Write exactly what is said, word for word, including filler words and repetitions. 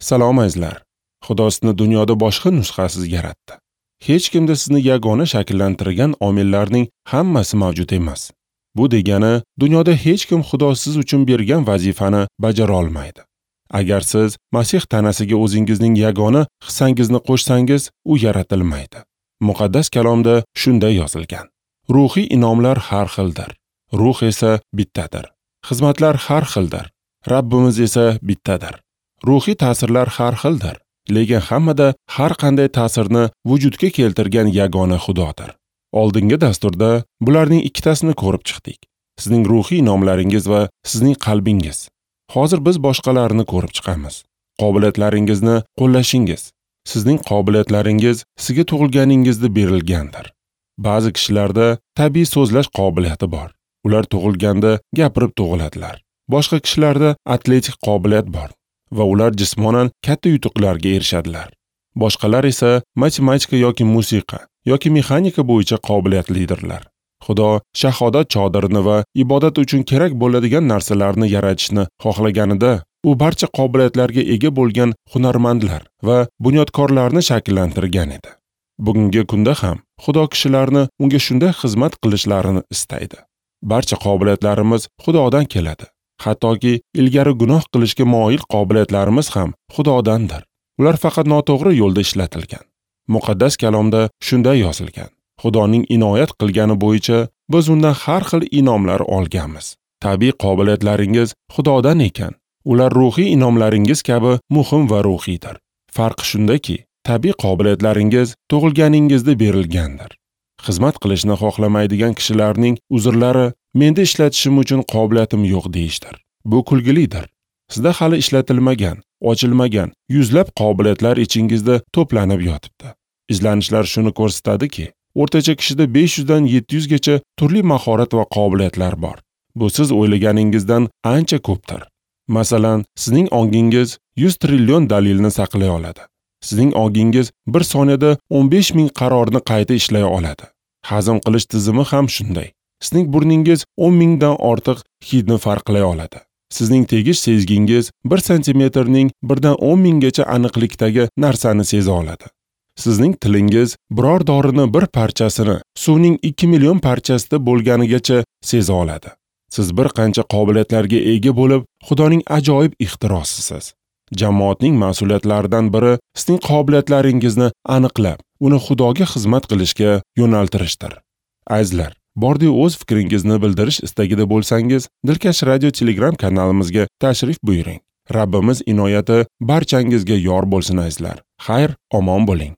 Salom azizlar. Xudo sizni dunyoda boshqa nusxasiz yaratdi. Hech kimda sizni yagona shakllantirgan omillarning hammasi mavjud emas. Bu degani, dunyoda hech kim Xudo siz uchun bergan vazifani bajara olmaydi. Agar siz Masih tanasiga o'zingizning yagona hissangizni qo'shsangiz, u yaratilmaydi. Muqaddas kalomda shunday yozilgan: Ruhiy inomlar har xildir, ruh esa bittadir. Xizmatlar har xildir, Rabbimiz esa bittadir. Ruhiy ta'sirlar har xildir, lekin hammada har qanday ta'sirni vujudga keltirgan yagona Xudodir. Oldingi dasturda bularning ikkitasini ko'rib chiqdik. Sizning ruhiy inomlaringiz va sizning qalbingiz. Hozir biz boshqalarini ko'rib chiqamiz. Qobiliyatlaringizni qo'llashingiz. Sizning qobiliyatlaringiz sizga tug'ilganingizda berilgandir. Ba'zi kishilarda tabiiy so'zlash qobiliyati bor. Ular tug'ilganda gapirib tug'iladilar. Boshqa kishilarda atletik qobiliyat bor va ular jismonan katta yutuqlarga erishadilar. Boshqalar esa matematika yoki musiqa yoki mexanika bo'yicha qobiliyatlidirlar. Xudo shahodat chodirini va ibodat uchun kerak bo'ladigan narsalarni yaratishni xohlaganida, u barcha qobiliyatlarga ega bo'lgan hunarmandlar va bunyodkorlarni shakllantirgan edi. Bugungi kunda ham Xudo kishilarni unga shunday xizmat qilishlarini istaydi. Barcha qobiliyatlarimiz Xudodan keladi. Hattoki ilgari gunoh qilishga moyil qobiliyatlarimiz ham Xudodandir. Ular faqat noto'g'ri yo'lda ishlatilgan. Muqaddas kalomda shunday yozilgan: Xudoning inoyat qilgani bo'yicha biz undan har xil inomlar olganmiz. Tabiiy qobiliyatlaringiz Xudodan ekan, ular ruhiy inomlaringiz kabi muhim va ruhiydir. Farq shundaki, tabiiy qobiliyatlaringiz tug'ilganingizda berilgandir. Xizmat qilishni xohlamaydigan kishilarning uzrlari menda ishlatishim uchun qobiliyatim yo'q deyishdir. Bu kulgilidir. Sizda hali ishlatilmagan, ochilmagan yuzlab qobiliyatlar ichingizda to'planib yotibdi. Izlanishlar shuni ko'rsatadiki, o'rtacha kishida besh yuzdan yetti yuzgacha turli mahorat va qobiliyatlar bor. Bu siz o'ylaganingizdan ancha ko'pdir. Masalan, sizning ongingiz yuz trillion dalilni saqlay oladi. Sizning ongingiz bir soniyada o'n besh ming qarorni qayta ishlay oladi. Hazm qilish tizimi ham shunday. Sizning burningiz o'n mingdan ortiq hidni farqlay oladi. Sizning tegish sezgingiz bir santimetrning birdan o'n minggacha aniqlikdagi narsani seza oladi. Sizning tilingiz biror dorini bir parchasini suvning ikki million parchasida bo'lganigacha seza oladi. Siz bir qancha qobiliyatlarga ega bo'lib, Xudoning ajoyib ixtirosisiz. Jamoatning mas'uliyatlaridan biri sizning qobiliyatlaringizni aniqlab, uni Xudoga xizmat qilishga yo'naltirishdir. Azizlar, bordi o'z fikringizni bildirish istagida bo'lsangiz, Dilkash Radio Telegram kanalimizga tashrif buyuring. Rabbimiz inoyati barchangizga yor bo'lsin azizlar. Xayr, omon bo'ling.